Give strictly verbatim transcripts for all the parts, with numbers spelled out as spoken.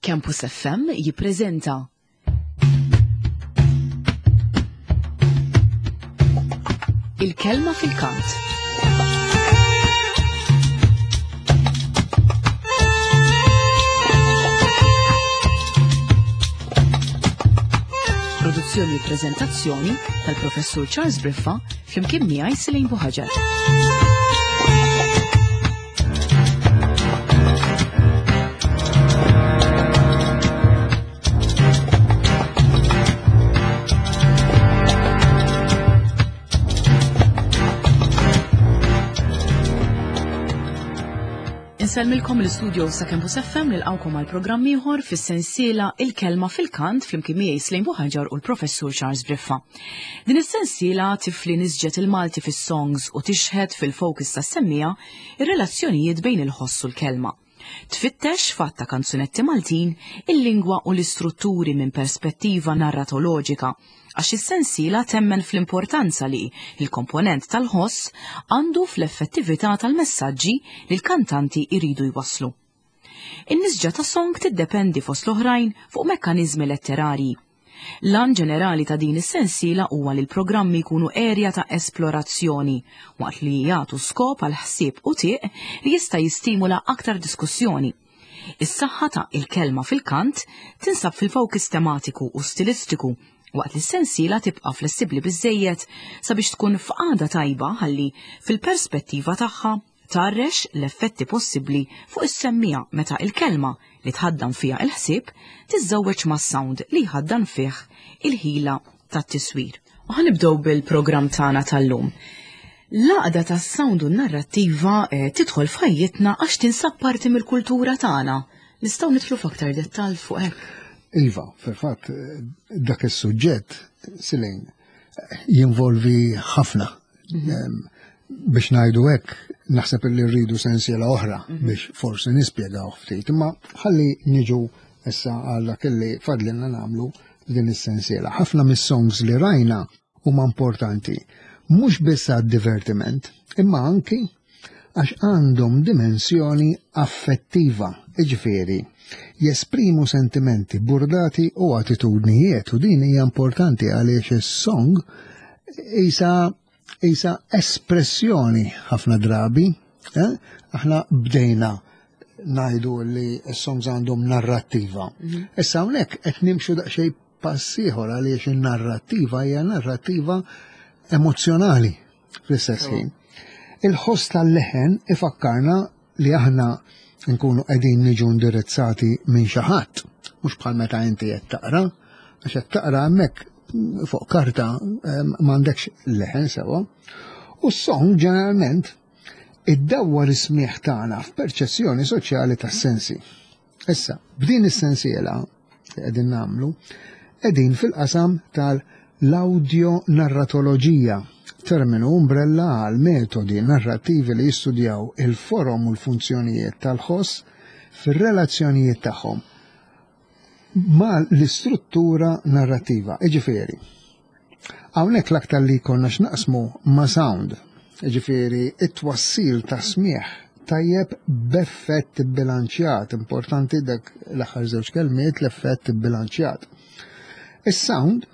Campus F M jippreżenta Il-Kelma fil-Kant. Produzzjoni u prezentazzjoni tal-Professur Charles Briffa flimkien miegħi Selene Buhaġar. Insellmilkom l-istudio sa' Campus F M nilqawkom għal programm ieħor fis-sensiela Il-Kelma fil-Kant flimkien miegħi Selene Buhaġar u l-Professur Charles Briffa. Din is-sensiela tifli nisġet il-Malti fis-songs u tixħed fil-fokus tas-semmija ir-relazzjonijiet bejn il-ħoss u l-kelma. Tfittex fatta kanzunetti Maltin il-lingwa u l-istrutturi minn perspettiva narratoloġika, għax is-sensiela temmen fl-importanza li il-komponent tal-ħoss għandu fl-effettività tal-messaġġi li l-kantanti iridu jwasslu. In-nisġa ta' song tiddependi fost l-oħrajn fuq mekkaniżmi letterarji. L-għan ġenerali ta' din is-sensiela huwa li l-programmi jkunu erja ta' esplorazzjoni, waqt li jagħtu skop għal ħsieb u tieq li jista' jistimula aktar diskussjoni. Is-saħħa ta' il-kelma fil-kant tinsab fil-fokus tematiku u stilistiku, waqt li s-sensiela tibqa' flessibbli biżżejjed sabiex tkun f'qagħda tajba ħalli fil-perspettiva tagħha tarrex l-effetti possibbli fuq is-semmija meta il-kelma li tħaddan fiha il-ħsieb tiżżewweġ mas-sound li jħaddan fih il-ħila tat-tiswir. U ħanibdew bil-programm tagħna tal-lum. L-għaqda tas-sound u n-narrattiva, eh, tidħol f'ħajjitna għax tinsab parti mill-kultura tagħna. Nistgħu nidħlu f'aktar dettall fuq hekk. Iva, fil-fatt, dak is-suġġett, Selene, jinvolvi ħafna. Mhm. Em, biex ngħidu hekk, naħseb li rridu sensiela oħra Mhm. biex forsi nispjegaw ftit, imma ħalli niġu issa għal dak li fadlilna nagħmlu din is-sensiela. Ħafna mis-songs li rajna huma importanti, mhux biss għad-divertiment, imma anki għax għandhom dimensjoni affettiva, jiġifieri jesprimu sentimenti burdati u attitudnijiet, u din hija importanti għaliex is-song isa, isa espressjoni ħafna drabi, eh? Aħna bdejna ngħidu li s-songs għandhom narrattiva. Mhm. Issa hawnhekk qed nimxu daqsxejn pass ieħor għaliex in-narrattiva hija narrattiva emozzjonali fl-istess Oh. ħin. Il-ħoss tal-leħen ifakkarna li aħna nkunu qegħdin niġu indirizzati minn xi ħadd, mhux bħal meta inti qed taqra, għax qed taqra hemmhekk fuq karta, em, m'għandekx leħen sewwa. U s-song ġeneralment iddawwar is-smieħ tagħna f'perċezzjoni soċjali tas-sensi. Issa, b'din is-sensiela li qegħdin nagħmlu, qegħdin fil-qasam tal-audio narratoloġija, terminu umbrella għal metodi narrattivi li jistudjaw il-forom u l-funzjonijiet tal-ħoss fir-relazzjonijiet tagħhom ma l-istruttura narrattiva. Iġifieri, hawnhekk l-aktar li konna x'naqsmu ma' sound, iġifieri it-twassil ta' smieħ tajjeb b'effett bilanċjat, importanti dak l-aħħar żewġ kelmiet, l-effett bilanċjat. Is-sound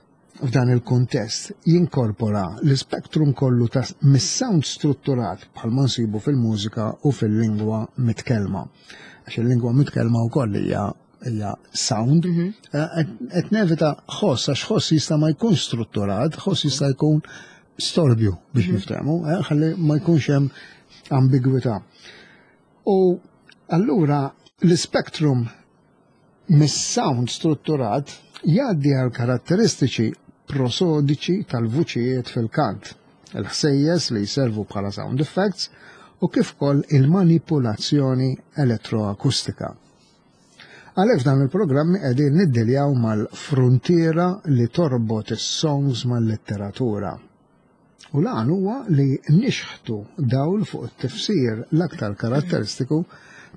f'dan il-kuntest jinkorpora l-spektrum kollu ta' mis-sound strutturat bħalma nsibu fil-mużika u fil-lingwa mitkellma. Għax il-lingwa mitkellma wkoll hija, hija sound. Mhm. Eh, qed nevita ħoss, għax ħoss jista' ma jkunx strutturat, ħoss jista' jkun storbju biex Mhm. niftehmu, eh, ħalli ma jkunx hemm ambigwità. U allura l-spektrum mis-sound strutturat jgħaddi għal karatteristiċi prosodiċi tal-vuċijiet fil-kant, il-ħsejjes li jservu bħala sound effects u kif ukoll il-manipulazzjoni elettroakustika. Għalhekk f'dan il-programmi qegħdin niddiljaw mal-frontiera li torbot is-songs mal-letteratura. U l-għan huwa li nixħtu dawl fuq it-tifsir l-aktar karatteristiku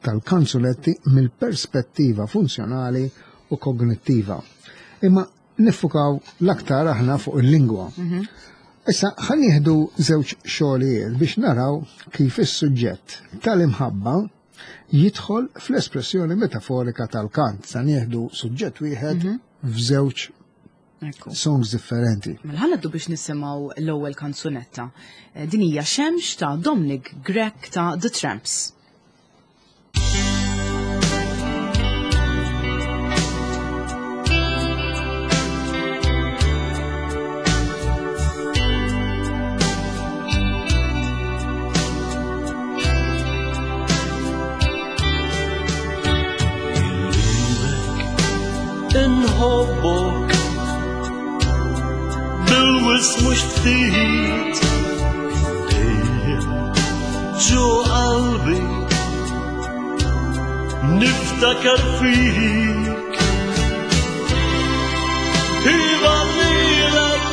tal-kanzunetti mill-perspettiva funzjonali u kognittiva. Imma niffukaw l-aktar aħna fuq il-lingwa. Mhm. Issa ħa nieħdu żewġ xogħlijiet biex naraw kif is-suġġett tal-imħabba jidħol fl-espressjoni metaforika tal-kant. Sa nieħdu suġġett wieħed mhm. f'żewġ songs differenti. Mela ħa ngħaddu biex nisimgħu l-ewwel kanzunetta. Eh, din hija Xemx ta' Dominic Grech ta' The Tramps. Inħobbok bil-wis mhux ftit, dejjem ġo qalbi niftakar fik. Iva lilek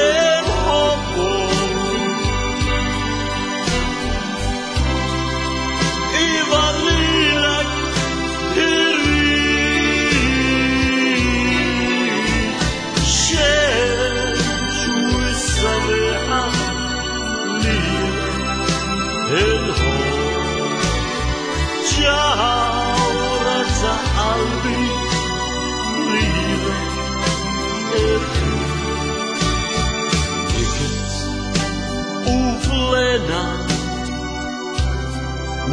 inħobbok, iva lilek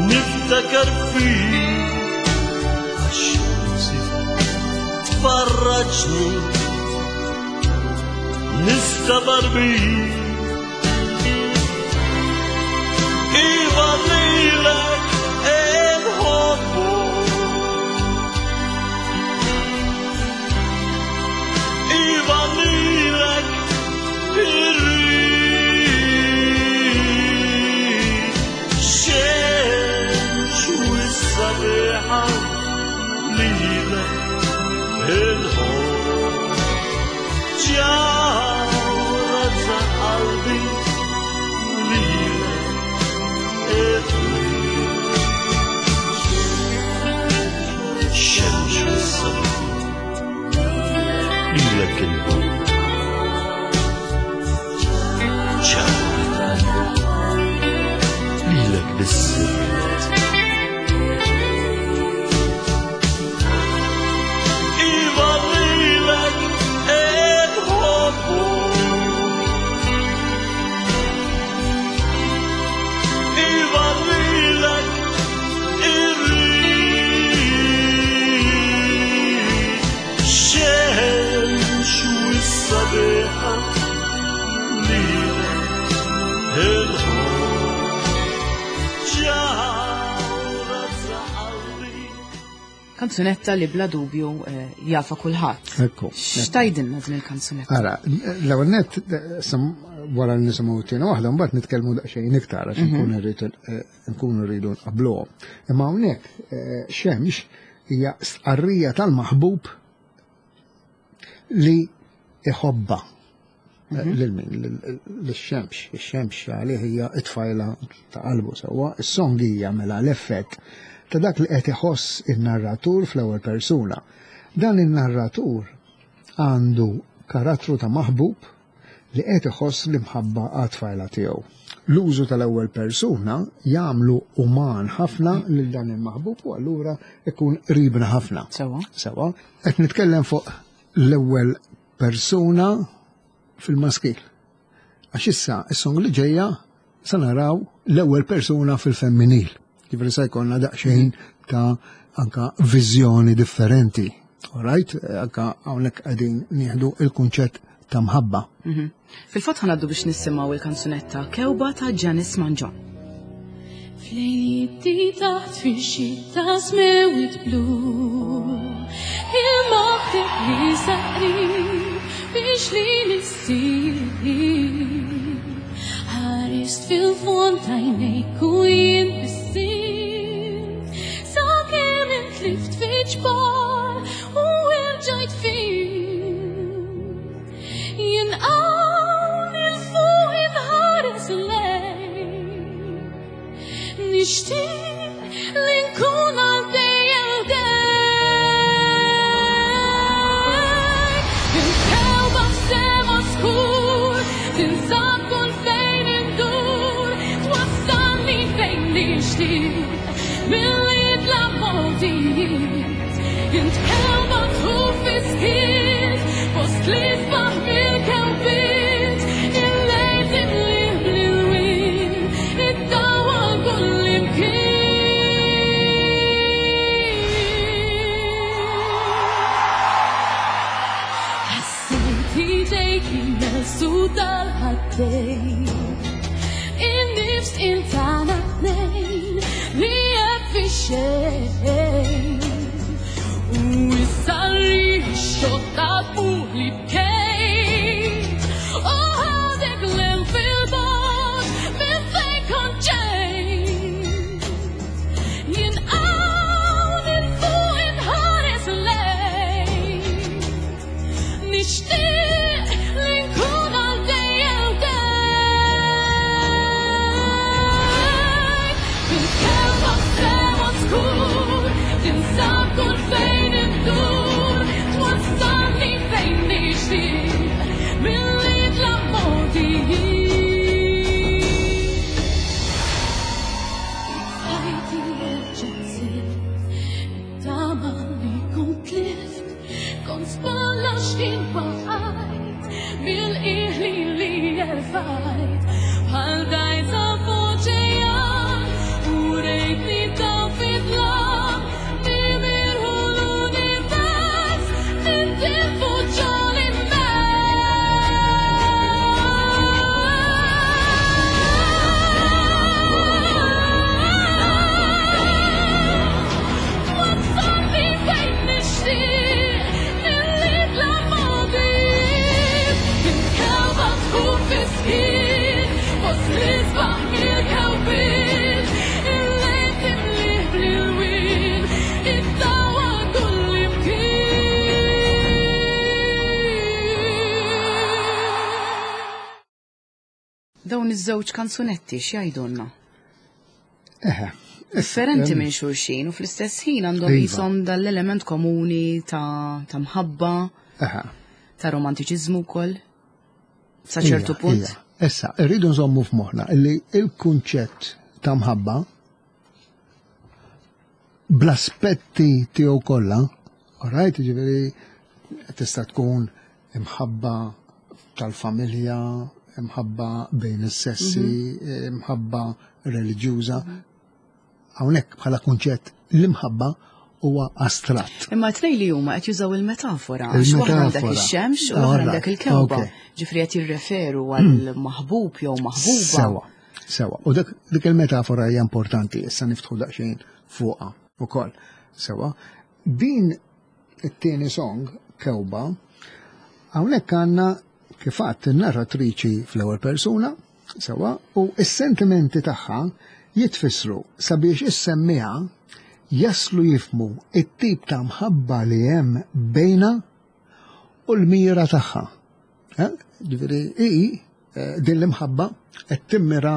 niftakar fik, għax-xemsi tfarraġni nistabar bik. Iva lilek inħobbok, iva lilek irrid. Xemx u s-sabiħa lilek inħobb, ġawhra ta' qalbi lilek irrid. Xemx u s-sabiħa lilek inħobb, ġawhra ta' qalbi lilek biss irrid. Iva lilek inħobbok, iva lilek irrid. Xemx u s-sabiħa lilek inħobb, ġawhra ta' qalbi. Kanzunetta li bla dubju eh, jafa kulħadd. Ekku. X'tajdilna din il-kanzunetta? Ara, l-ewwel nett sam- wara li nisimgħu t-tieni waħda mbagħad nitkellmu daqsxejn iktar għax nkunu rridu eh, nkunu rridu nqabbluhom. Imma hawnhekk eh, Xemx hija stqarrija tal-maħbub li iħobba. Lil min? Lix-xemx. Ix-xemx għalih hija t-tfajla ta' qalbu sewwa. Is-song hija mela l-effett ta' dak li qed iħoss in-narratur fl-ewwel persuna. Dan in-narratur għandu karattru ta' maħbub li qed iħoss l-imħabba għat-tfajla tiegħu. L-użu tal-ewwel persuna jagħmlu uman ħafna lil dan il-maħbub u allura ikun qribna ħafna. Sewwa. Sewwa. Qed nitkellem fuq l-ewwel persuna fil-maskil. Għax issa is-song li ġejja sa naraw l-ewwel persuna fil-femminil. Ġifieri se jkollna daqsxejn ta' anka viżjoni differenti. All right? Anka hawnhekk qegħdin nieħdu il-kunċett ta' mħabba. Mhm. Fil-fatt ħa ngħaddu biex nisimgħu il-kanzunetta Kewba ta' Janice Mangion. Flejti taħt fix-xita smewit blu, il-maħteb li saqrib biex li nissir. Ħarist fil-fond tajnejk u jien bissimt, sakemm intlift fi ġbar u rġajt fim. Jien hawn il-fuq inħares lejk, nixtieq li nkun għal dejjem ħdejk. Il-kewba f'sema skur tinsab kull fejn indur, twassalni fejn nixtieq Milli tla mogħdijiet. Int kewba tħuf fis-skiet, fost l-isbaħ mill-kewbiet. Il-lejl timlih bl-ilwien, iddawwal kull imkien. Ħassejt idejk jimmelsu dal-ħaddejn. In-nifs intana tnejn li qed fix-xejn. U issa rriħ ix-xotta fuq li bkejt. U ħadek lem fil-bogħod minn fejn kont ġejt. Jien hawn 'il fuq inħares lejk. Nixtieq li nkun għal dejjem ħdejk. Fil-kewba sema skur, tinsab kull fejn indur, twassalni fejn nixtieq, milli tla mogħdijiet. Ħajti erġa' sirt, it-tama li kont tlift, kont spalla x'kien waqajt, mill-qiegħ li li erfajt, bħal dgħajsa f'oċean, u rejtni dawl fi dlam, nimirħu l-univers, nintilfu ġol-immens. Twassalni fejn nixtieq, milli tla mogħdijiet. Int kewba tħuf fis-skiet, fost l-isbaħ mill-kewbiet. Il-lejl timlih bl-ilwien, iddawwal kull imkien. Dawn iż-żewġ kanzunetti x'jgħidulna? Eħe. Differenti minn xulxin u fl-istess ħin għandhom Iva. qishom dal-element komuni ta' ta' mħabba, Eħe. ta' romantiċiżmu wkoll. Sa ċertu Ija, punt. ija. Issa, irridu nżommu f'moħħna illi il-kunċett ta' mħabba bl-aspetti tiegħu kollha, alright, ġifieri tista' tkun imħabba tal-familja, imħabba bejn is-sessi, imħabba reliġjuża. Hawnhekk bħala kunċett l-imħabba huwa astratt. Imma t-tnejn li huma qed jużaw il-metafora. Għax waħda għandek Il-metafora. ix-xemx u l-oħra Alright, għandek il-kewba. okay. Ġifieri qed jirreferu għal maħbub jew maħbuba. Sewa, sewa. U dak dik il-metafora hija importanti, issa niftħu daqsxejn fuqha ukoll. Sewa. Din it-tieni song, Kewba, hawnhekk għandna kif għadt in-narratriċi fl-ewwel persuna, sewa, u s-sentimenti tagħha jitfissru sabiex is-semmiegħa jaslu jifhmu it-tip ta' mħabba li hemm bejna u l-mira tagħha. Eh? Ġifieri i eh, din l-imħabba qed timmira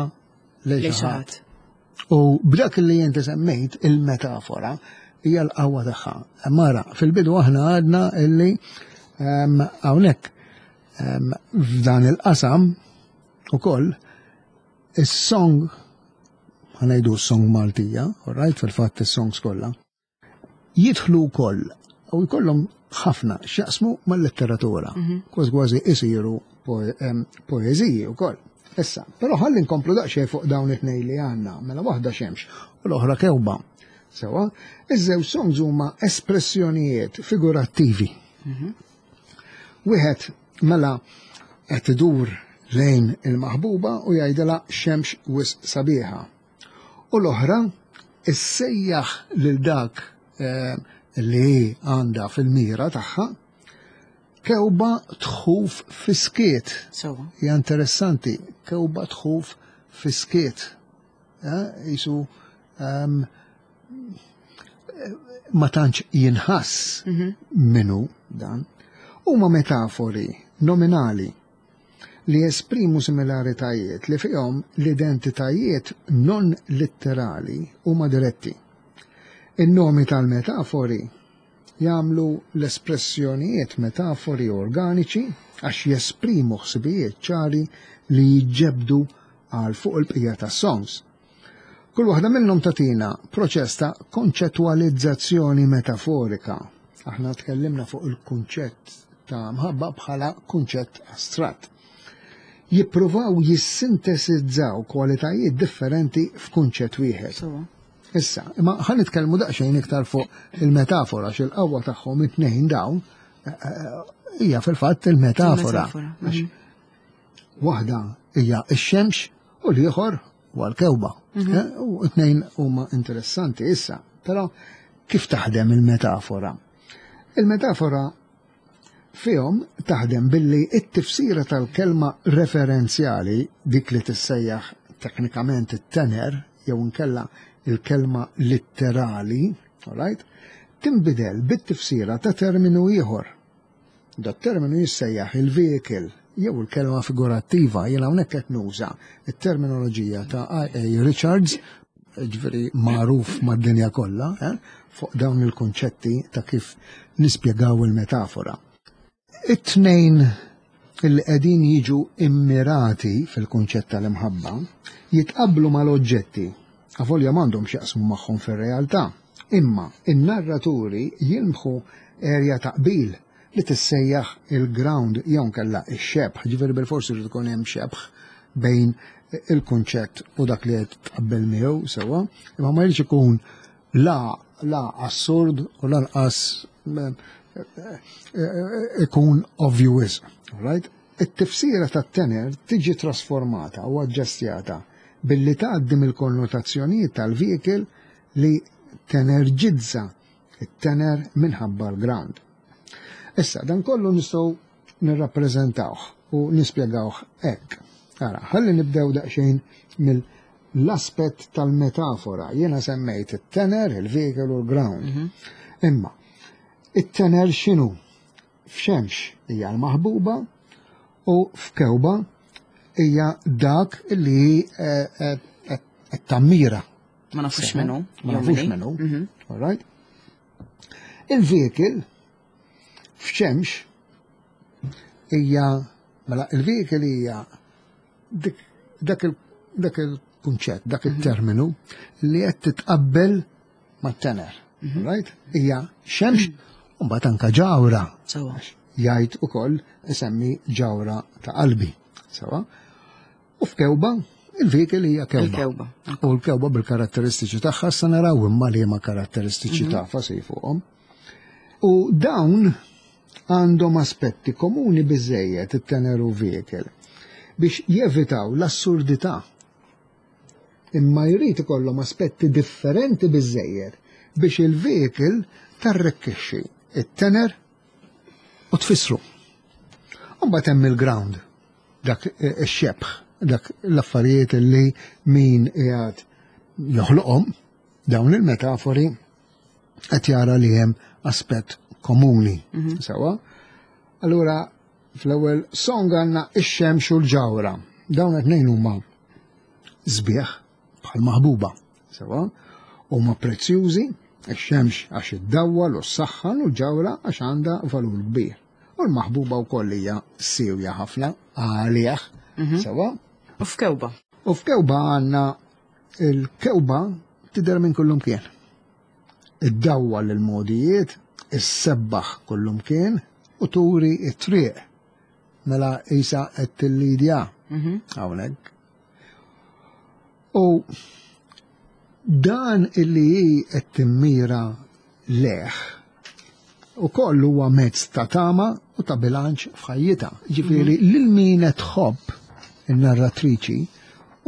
lejn Lejn xi xi ħadd. ħadd. U b'dak li inti semmejt il-metafora hija l-qawwa tagħha. Mara, fil-bidu aħna għadna illi ehm, hawnhekk ehm, f'dan il-qasam ukoll is-song ħa ngħidu s-song Maltija, all right, fil-fatt is-songs kollha, jidħlu wkoll u jkollhom ħafna x'jaqsmu mal-letteratura. Kważi kważi isiru poeżiji wkoll. Issa, però ħalli nkomplu daqsxejn fuq dawn it-tnejn li għandna, mela waħda xemx u l-oħra kewba. Sewa, iż-żewġ songs huma espressjonijiet figurattivi. Wieħed mela qed idur lejn il-maħbuba u jgħidilha xemx wisq sabiħa. U l-oħra issejjaħ lil dak eh, li għandha fil-mira tagħha kewba tħuf fis-skiet. Sewa. Hija interessanti, kewba tħuf fis-skiet. Eh, Jisu ehm, ma tantx jinħass minnu dan. Huma metafori nominali li jesprimu similaritajiet li fihom l-identitajiet non litterali huma diretti. In-nomi tal-metafori jagħmlu l-espressjonijiet metafori organiċi għax jesprimu ħsibijiet ċari li jġebdu għal fuq il-bqija tas-songs. Kull waħda minnhom tagħtina proċess ta' konċettwalizzazzjoni metaforika. Aħna tkellimna fuq il-kunċett ta' mħabba bħala kunċett astratt. Jippruvaw jissintesizzaw kwalitajiet differenti f'kunċett wieħed. Sewwa. Issa, imma ħa nitkellmu daqsxejn iktar fuq il-metafora, x'il-qawwa tagħhom it-tnejn dawn eh, eh, hija fil-fatt il-metafora. Il-metafora, Għax Waħda hija x-xemx u l-ieħor huwa l-kewba. Eh, U t-tnejn huma interessanti issa, però kif taħdem il-metafora? Il-metafora fihom taħdem billi it-tifsira tal-kelma referenzjali, dik li tissejjaħ teknikament it-tener, jew inkella il-kelma litterali, alright, tinbidel bit-tifsira ta' terminu ieħor. Dat terminu jissejjaħ il-vehicle jew il-kelma figurattiva. Jiena hawnhekk qed nuża it-terminoloġija ta' I A. Richards, ġifieri magħruf mad-dinja kollha, eh, fuq dawn il-konċetti ta' kif nispjegaw il-metafora. It-tnejn il qegħdin jiġu immirati fil-kunċett tal-imħabba jitqablu mal-oġġetti, avolja m'għandhom x'jaqsmu magħhom fir-realtà. Imma in-narraturi jilmħu erja ta' qbil li tissejjaħ il-ground jew kella ix-xebħ, ġifieri bil-forsi jrid ikun hemm xebħ bejn il-kunċett u dak li qed tqabbel miegħu sewwa, imma ma jridx ikun la la assurd u lanqas eh, eh, ikun obvious, right? It-tifsira tat-tener tiġi trasformata u aġġestjata billi tgħaddi mill-konnotazzjonijiet tal-vehicle li tenerġizza it-tener minħabba l-ground. Issa, dan kollu nistgħu nirrappreżentawh u nispjegawh hekk. Ara, ħalli nibdew daqsxejn mill-aspett tal-metafora. Jiena semmejt it-tener, il-vehicle u l-ground. Imma, it-tener x'inhu? F'xemx hija l-maħbuba u f'kewba hija dak li eh, eh, qed tammira. Ma nafux minnu. Ma jew nafux minni. minnu. All right? Il-vehicle f'xemx hija, mela, il-vehicle hija dik dak il dak il-kunċett, dak il-terminu li qed titqabbel mat-tener. Right? Hija xemx u mbagħad anka ġawra. Sewwa. Jgħid ukoll isemmi ġawra ta' qalbi. Sewwa. U f'kewba, il-vehicle hija kewba. Il-kewba. U l-kewba bil-karatteristiċi tagħha, sa naraw imma li ma karatteristiċi tagħha se fuqhom. U dawn għandhom aspetti komuni biżejjed, it-tener u vehicle, biex jevitaw l-assurdità. Imma jrid ikollhom aspetti differenti biżejjed biex il-vehicle tarrekkixxi it-tener u tfissru. U mbagħad hemm il-ground, dak ix-xebħ, dak l-affarijiet li min qiegħed joħloqhom dawn il-metafori qed jara li hemm aspett komuni. Sewwa? Allura fl-ewwel song għandna ix-xemx u l-ġawra. Dawn qed ngħid huma sbieħ bħal maħbuba. Sewwa? Huma prezzjużi, ix-xemx għax iddawwal u s-saħħan u l-ġawra għax għandha valur kbir. U l-maħbuba wkoll hija siwja ħafna għalih. Sewwa? U f'kewba. U f'kewba għandna il-kewba tidher minn kullum kien. Iddawwal il-modijiet, issebbaħ kullum kien u turi it-triq. Mela isa qed tillidja hawnhekk. U dan illi hi qed timmira leħ u koll huwa mezz ta' tama u ta' bilanċ f'ħajjitha. Ġifieri lil min qed tħobb in-narratriċi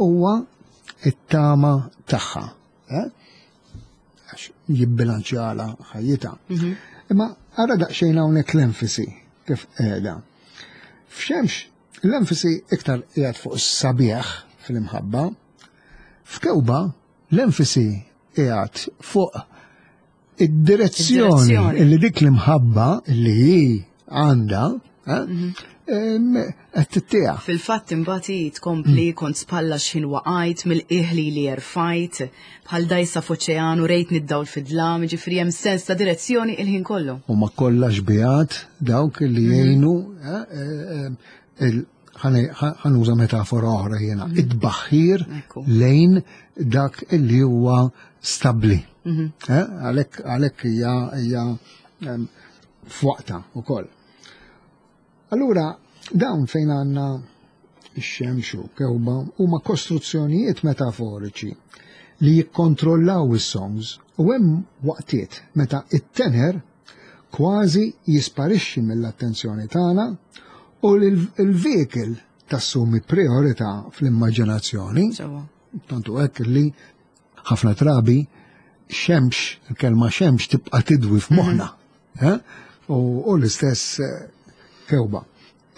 huwa it-tama tagħha. Eh? Għax jibbilanċjala ħajjitha. Imma ara daqsxejn hawnhekk l-enfasi kif qiegħda. F'xemx l-enfasi iktar qiegħed fuq is-sabiħ fil-imħabba. F'kewba l-enfasi qiegħed fuq id-direzzjoni Id-direzzjoni. illi dik l-imħabba li hi għandha eh, em, qed tittieħ. Fil-fatt imbagħad hi tkompli: kont spalla x'ħin waqajt, mill-iħli li erfajt, bħal dajsa f'oċeanu rejt nid-dawl fid-dlam, ġifieri hemm sens ta' direzzjoni il-ħin kollu. U ma kollha xbihat dawk li jgħinu eh, eh, il- Ħa nuża metafora oħra jiena, Mhm. it-tbaħħir Ekku. lejn dak illi huwa stabli. Mhm. Eh, Għalhekk għalhekk hija hija em, f'waqta wkoll. Allura, dawn fejn għandna ix-xemx u kewba huma kostruzzjonijiet metaforiċi li jikkontrollaw is-songs u hemm waqtiet meta it-tenor kważi jisparixxi mill-attenzjoni tagħna u l-vehicle tassumi priorità fl-immaġinazzjoni. Sewwa. Tantu hekk li ħafna drabi xemx, il-kelma xemx tibqa' tidwi f'moħħna. Eh? U u l-istess eh, kewba.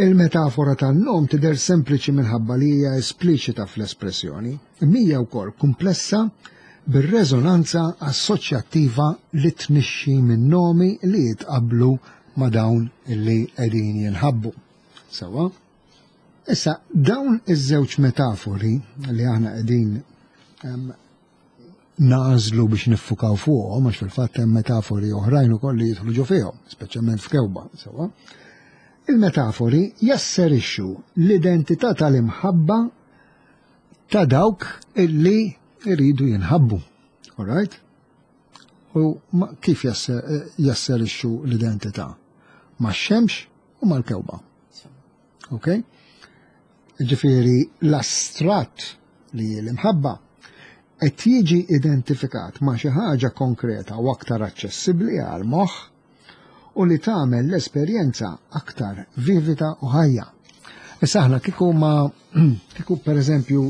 Il-metafora tan-nom tidher sempliċi minħabba li hija espliċita fl-espressjoni, imma hija wkoll komplessa bir-reżonanza assoċjattiva li tnixxi minn nomi li jitqablu ma' dawn illi qegħdin jinħabbu. Sewwa? Issa, dawn iż-żewġ metafori li aħna qegħdin em, nagħżlu biex niffukaw fuqhom, għax fil-fatt hemm metafori oħrajn ukoll li jidħlu ġo fihom, speċjalment f'kewba, sewwa. Il-metafori jasserixxu l-identità tal-imħabba ta' dawk illi jridu jinħabbu. All right? U ma- kif jasse- jasserixxu l-identità? Ma' xemx u mal-kewba. Ok? Ġifieri l-astratt li l-imħabba qed jiġi identifikat ma' xi ħaġa konkreta u aktar aċċessibbli għal moħħ u li tagħmel l-esperjenza aktar vivida u ħajja. Issa aħna kieku ma kieku pereżempju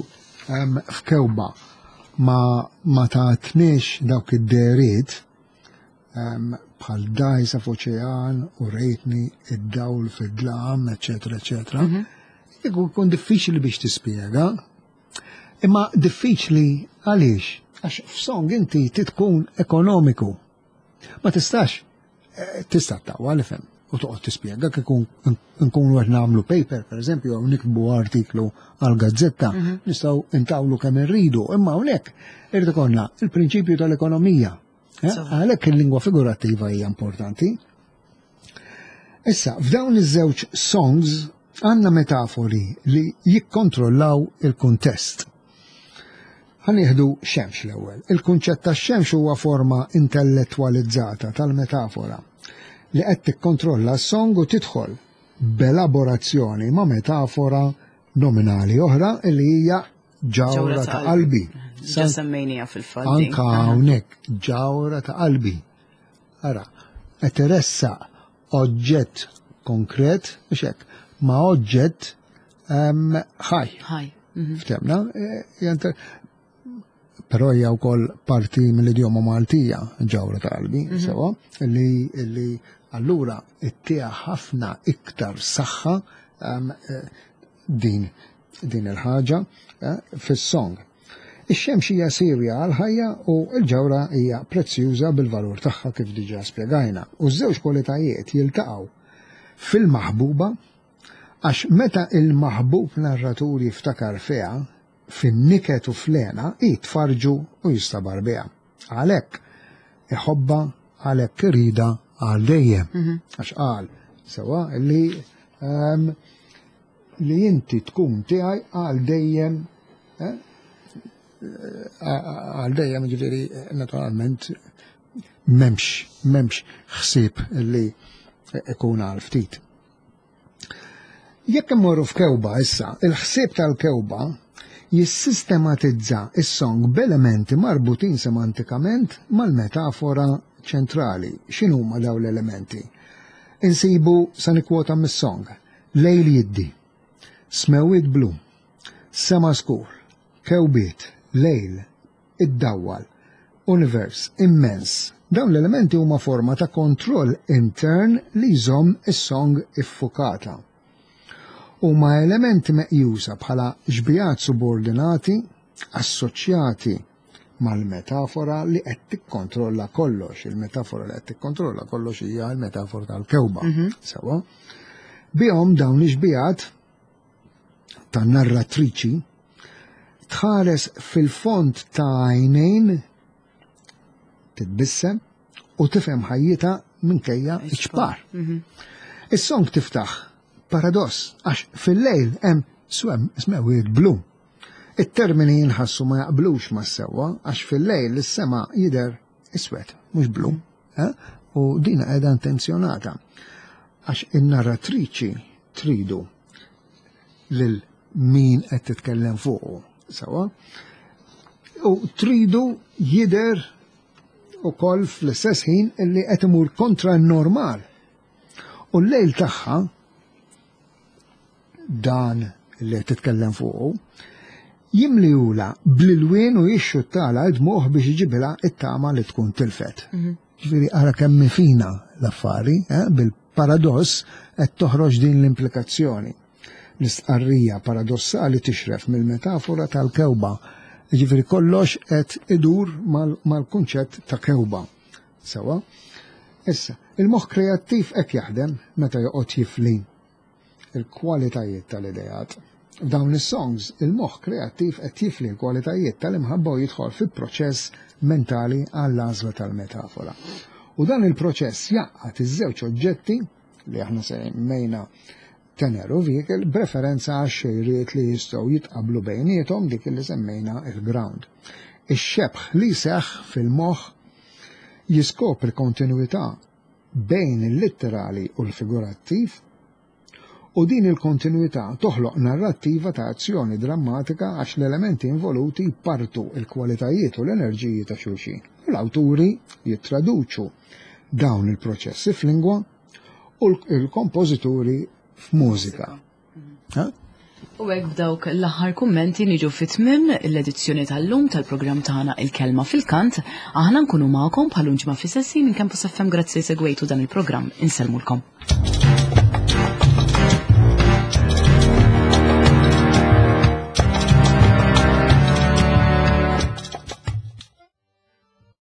em, f'kewba ma ma tatniex dawk id-dehriet em, bħal dajsa f'oċean u rejtni id-dawl fid-dlam, eċetera, eċetera. Kieku jkun diffiċli biex tispjega. Imma diffiċli għaliex? Għax f'song inti tkun ekonomiku. Ma tistax, eh, tista' tawwa ifhem u toqgħod tispjega kieku nkunu qed nagħmlu paper, per eżempju, jew nikbu artiklu għal gazzetta, nistgħu intawlu kemm irridu, imma hawnhekk irid ikollna il-prinċipju tal-ekonomija. Eh, Sewwa. Għalhekk il-lingwa figurattiva hija importanti. Issa, f'dawn iż-żewġ songs għandna metafori li jikkontrollaw il-kuntest. Ħa nieħdu xemx l-ewwel. Il-kunċett tax-xemx huwa forma intellettualizzata tal-metafora li qed tikkontrolla s-song u tidħol b'elaborazzjoni ma' metafora nominali oħra li hija ġawra ta' qalbi. Ġa semmejnija fil-fatt. din. Anka hawnhekk ġawra ta' qalbi. Ara, qed iressaq oġġett konkret, mhux hekk, ma' oġġett em, ħaj. Ħaj. Mhm. Ftemna, eh, jenter- però hija wkoll parti mill-idjoma Maltija, ġawra ta' qalbi, sewwa, li li allura ittiha ħafna iktar saħħa em, eh, din din il-ħaġa eh, fis-song. Ix-xemx hija sirja għal-ħajja u l-ġawra hija prezzjuża bil-valur tagħha kif diġà spjegajna. U ż-żewġ kwalitajiet jiltaqgħu fil-maħbuba għax meta il-maħbub narratur jiftakar fiha fin-niket u fl-hena jitfarġu u jistabar biha. Għalhekk iħobba għalhekk irida għal dejjem. Għax qal sewwa li ehm, li inti tkun tiegħi għal dejjem eh, għal dejjem ġifieri naturalment m'hemmx m'hemmx ħsieb li ikun għal ftit. Jekk immorru f'kewba issa, il-ħsieb tal-kewba jissistematizza is-song b'elementi marbutin semantikament mal-metafora ċentrali. X'inhuma dawn l-elementi? Insibu sa nikkwota mis-song. Lejl jiddi, smewwiet blu, sema skur, kewbiet, lejl, iddawwal, univers immens. Dawn l-elementi huma forma ta' kontroll intern li jżomm is-song iffukata. Huma elementi meqjusa bħala xbijat subordinati assoċjati mal-metafora li qed tikkontrolla kollox. Il-metafora li qed tikkontrolla kollox hija l-metafora tal-kewba. Sewwa. Bihom dawn ix-xbijat tan-narratriċi tħares fil-fond ta' għajnejn titbissem u tifhem ħajjitha minkejja iċ-ċpar. Is-song tiftaħ Paradoss, għax fil-lejl hemm swem smewiet blu. It-termini jinħassu ma jaqblux ma sewwa għax fil-lejl is-sema jidher iswed, mhux blu. Eh? U dina qiegħda intenzjonata għax in-narratriċi tridu lil min qed titkellem fuqu, sewwa. U tridu jidher ukoll fl-istess ħin illi qed imur kontra n-normal. U l-lejl tagħha dan li qed titkellem fuqu jimlijula bl-ilwien u jixxuttala id-dmugħ biex iġibilha it-tama li tkun tilfet. Ġifieri ara kemm fina l-affari, eh, bil-paradoss qed toħroġ din l-implikazzjoni. L-istqarrija paradossali tixref mill-metafora tal-kewba. Ġifieri kollox qed idur mal-kunċett ta' kewba. Sewwa? Issa, il-moħħ kreattiv hekk jaħdem meta joqgħod jifli il-kwalitajiet tal-idejat. F'dawn is-songs, il-moħħ kreattiv qed jifli l-kwalitajiet tal-imħabba u jidħol fi proċess mentali għall-għażla tal-metafora. U dan il-proċess jgħaqqad iż-żewġ oġġetti li aħna semmejna tenor u vehicle b'referenza għax xejriet li jistgħu jitqablu bejniethom, dik li semmejna il-ground. Ix-xebħ li seħ fil-moħħ jiskopri kontinuità bejn il-litterali u l-figurattiv, u din il-kontinuità toħloq narrattiva ta' azzjoni drammatika għax l-elementi involuti partu il-kwalitajiet u l-enerġiji ta' xulxin. U l-awturi jittraduċu dawn il-proċessi f'lingwa u l-kompożituri f'mużika. Ha? U hekk b'dawk l-aħħar kummenti niġu fit-tmiem l-edizzjoni tal-lum tal-programm tagħna Il-Kelma fil-Kant. Aħna nkunu magħkom bħal ġimgħa fl-istess ħin minn Campus F M. Grazzi segwejtu dan il-programm. Insellmulkom.